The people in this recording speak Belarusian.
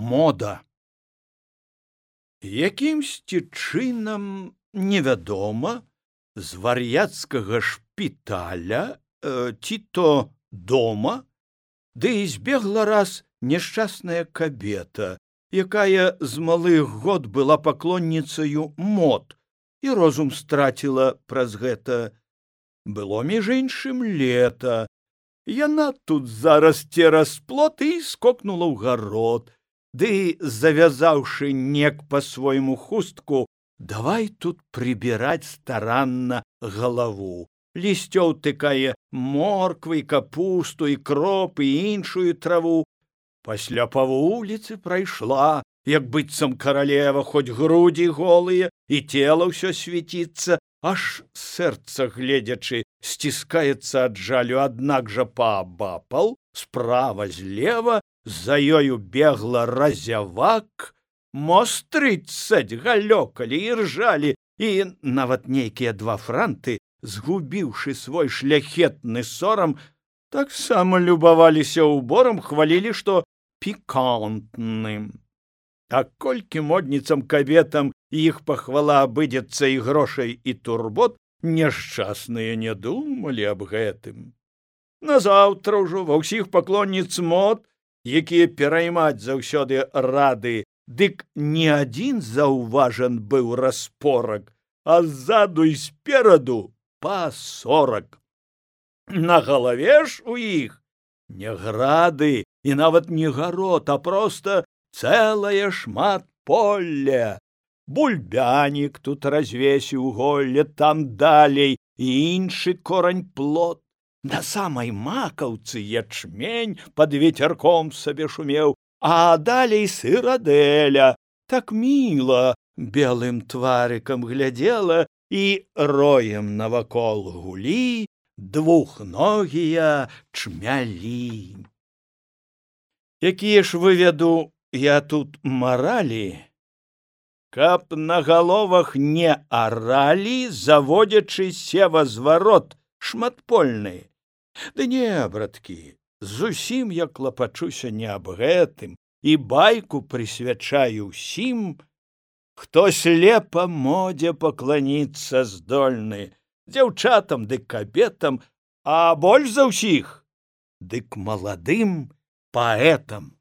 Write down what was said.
мода. Якімсьці чынам невядома з вар'яцкага шпіталя ці то дома, ды і збегла раз няшчасная кабета, якая з малых год была паклонніцаю мод і розум страціла праз гэта. Было, між іншым, лета. Яна тут зараз цераз плот і скокнула ў гарод, ды, завязаўшы нек па-свойму хустку, давай тут прыбіраць старанна галаву. Лісцёў тыкае морквы, капусту, і кроп, і іншую траву. Пасля па вуліцы прайшла, як быццам каралева, хоць грудзі голыя, і цела ўсё свеціцца, аж сэрца, гледзячы, сціскаецца ад жалю, аднак жа паабапал, справа злева, за ёю бегла разявак, мо 30 галёкалі і ржалі, і нават нейкія 2 франты, згубіўшы свой шляхетны сорам, таксама любаваліся ўборам, хвалілі, што пікантным. А колькі модніцам кабетам іх пахвала абыдзецца і грошай, і турбот, няшчасныя не думалі аб гэтым. Назаўтра ўжо ва ўсіх паклонніц мод, якія пераймаць заўсёды рады, дык не адзін заўважан быў распорак, а ззаду і спераду па 40. На галаве ж у іх не грады і нават не гарод, а проста цэлае шмат полля. Бульбянік тут развесіў голле, там далей іншы корань плод. На самай макаўцы ячмень пад вецярком сабе шумеў, а далей сырадэля так міла белым тварыкам глядзела, і роем навакол гулі двухногія чмялі. Якія ж выведу я тут маралі, каб на галовах не аралі, заводзячы севазварот шматпольны. Ды не, браткі, зусім я клапачуся не аб гэтым і байку прысвячаю ўсім, хто слепа модзе пакланіцца здольны, дзяўчатам ды кабетам, а больш за ўсіх, дык маладым паэтам.